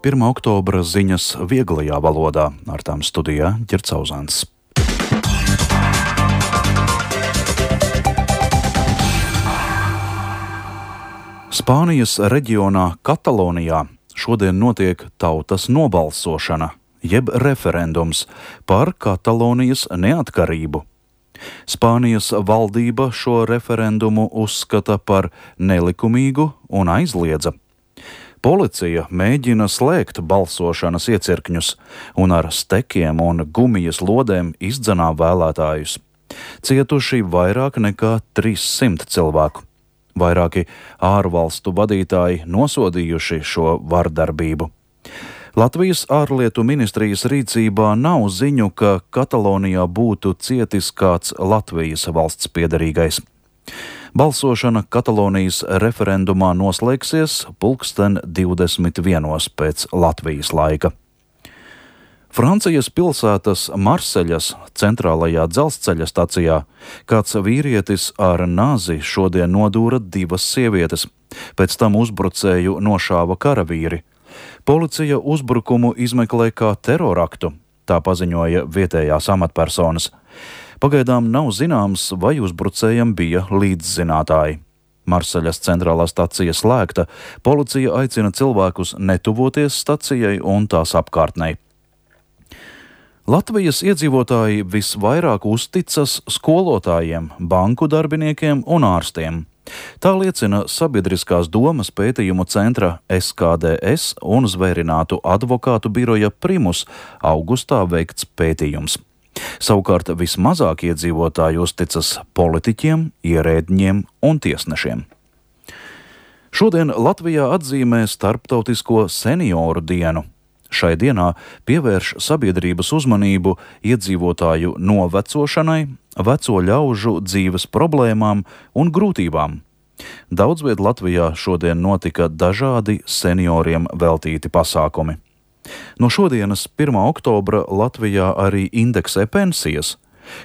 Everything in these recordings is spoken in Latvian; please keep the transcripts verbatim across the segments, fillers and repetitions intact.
pirmā oktobra ziņas vieglajā valodā, ar tām studijā Ģercauzāns. Spānijas reģionā Katalonijā šodien notiek tautas nobalsošana, jeb referendums par Katalonijas neatkarību. Spānijas valdība šo referendumu uzskata par nelikumīgu un aizliedza. Policija mēģina slēgt balsošanas iecirkņus un ar stekiem un gumijas lodēm izdzenā vēlētājus. Cietuši vairāk nekā trīssimt cilvēku. Vairāki ārvalstu vadītāji nosodījuši šo vardarbību. Latvijas ārlietu ministrijas rīcībā nav ziņu, ka Katalonijā būtu cietis kāds Latvijas valsts piederīgais. Balsošana Katalonijas referendumā noslēgsies pulksten divdesmit vienos pēc Latvijas laika. Francijas pilsētas Marseļas centrālajā dzelzceļa stacijā kāds vīrietis ar nāzi šodien nodūra divas sievietes, pēc tam uzbrucēju nošāva karavīri. Policija uzbrukumu izmeklē kā teroraktu, tā paziņoja vietējās amatpersonas. Pagaidām nav zināms, vai uzbrucējam bija līdzzinātāji. Marseļas centrālā stacija slēgta, policija aicina cilvēkus netuvoties stacijai un tās apkārtnei. Latvijas iedzīvotāji visvairāk uzticas skolotājiem, banku darbiniekiem un ārstiem. Tā liecina Sabiedriskās domas pētījumu centra S K D S un zvērinātu advokātu biroja Primus augustā veikts pētījums. Savukārt vismazāk iedzīvotāji uzticas politiķiem, ierēdņiem un tiesnešiem. Šodien Latvijā atzīmē Starptautisko senioru dienu. Šai dienā pievērš sabiedrības uzmanību iedzīvotāju novecošanai, veco ļaužu dzīves problēmām un grūtībām. Daudzviet Latvijā šodien notika dažādi senioriem veltīti pasākumi. No šodienas pirmā oktobra Latvijā arī indeksē pensijas.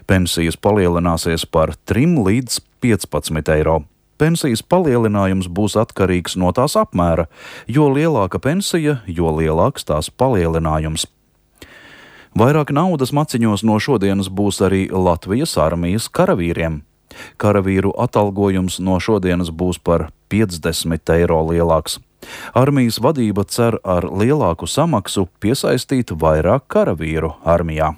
Pensijas palielināsies par trim līdz piecpadsmit eiro. Pensijas palielinājums būs atkarīgs no tās apmēra, jo lielāka pensija, jo lielāks tās palielinājums. Vairāk naudas maciņos no šodienas būs arī Latvijas armijas karavīriem. Karavīru atalgojums no šodienas būs par piecdesmit eiro lielāks. Armijas vadība cer ar lielāku samaksu piesaistīt vairāk karavīru armijā.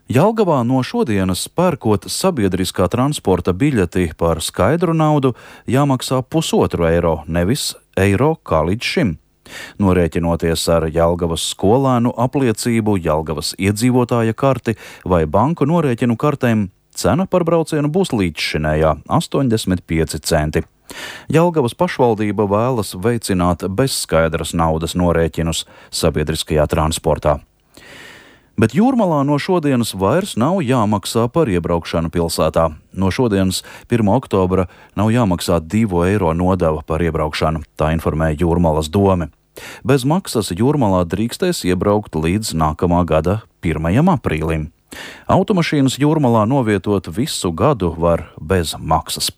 Jelgavā no šodienas pērkot sabiedriskā transporta biļeti par skaidru naudu jāmaksā pusotru eiro, nevis eiro kā līdz šim. Norēķinoties ar Jelgavas skolēnu apliecību, Jelgavas iedzīvotāja karti vai banku norēķinu kartēm, cena par braucienu būs līdzšinējā astoņdesmit pieci centi. Jelgavas pašvaldība vēlas veicināt bezskaidras naudas norēķinus sabiedriskajā transportā. Bet Jūrmalā no šodienas vairs nav jāmaksā par iebraukšanu pilsētā. No šodienas pirmā oktobra nav jāmaksā divu eiro nodeva par iebraukšanu, tā informēja Jūrmalas dome. Bez maksas Jūrmalā drīkstēs iebraukt līdz nākamā gada pirmajam aprīlim. Automašīnas Jūrmalā novietot visu gadu var bez maksas.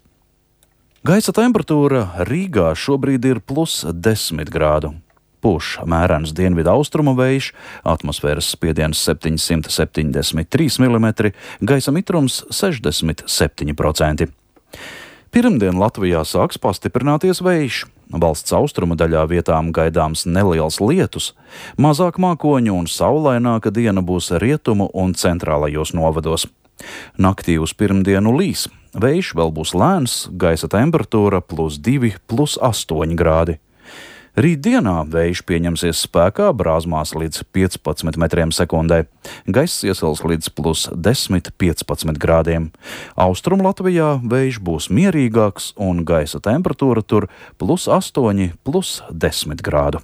Gaisa temperatūra Rīgā šobrīd ir plus desmit grādu. Pūš mērens dienvidu austrumu vējš, atmosfēras spiediens septiņsimt septiņdesmit trīs milimetri, gaisa mitrums sešdesmit septiņi procenti. Pirmdien Latvijā sāks pastiprināties vējš. Valsts austrumu daļā vietām gaidāms neliels lietus. Mazāk mākoņu un saulaināka diena būs rietumu un centrālajos novados. Naktī uz pirmdienu līs. Vējš vēl būs lēns, gaisa temperatūra plus divi, plus astoņi grādi. Rītdienā vējš pieņemsies spēkā brāzmās līdz piecpadsmit metriem sekundē. Gaiss iesils līdz plus desmit, piecpadsmit grādiem. Austrumu Latvijā vējš būs mierīgāks un gaisa temperatūra tur plus astoņi, plus desmit grādu.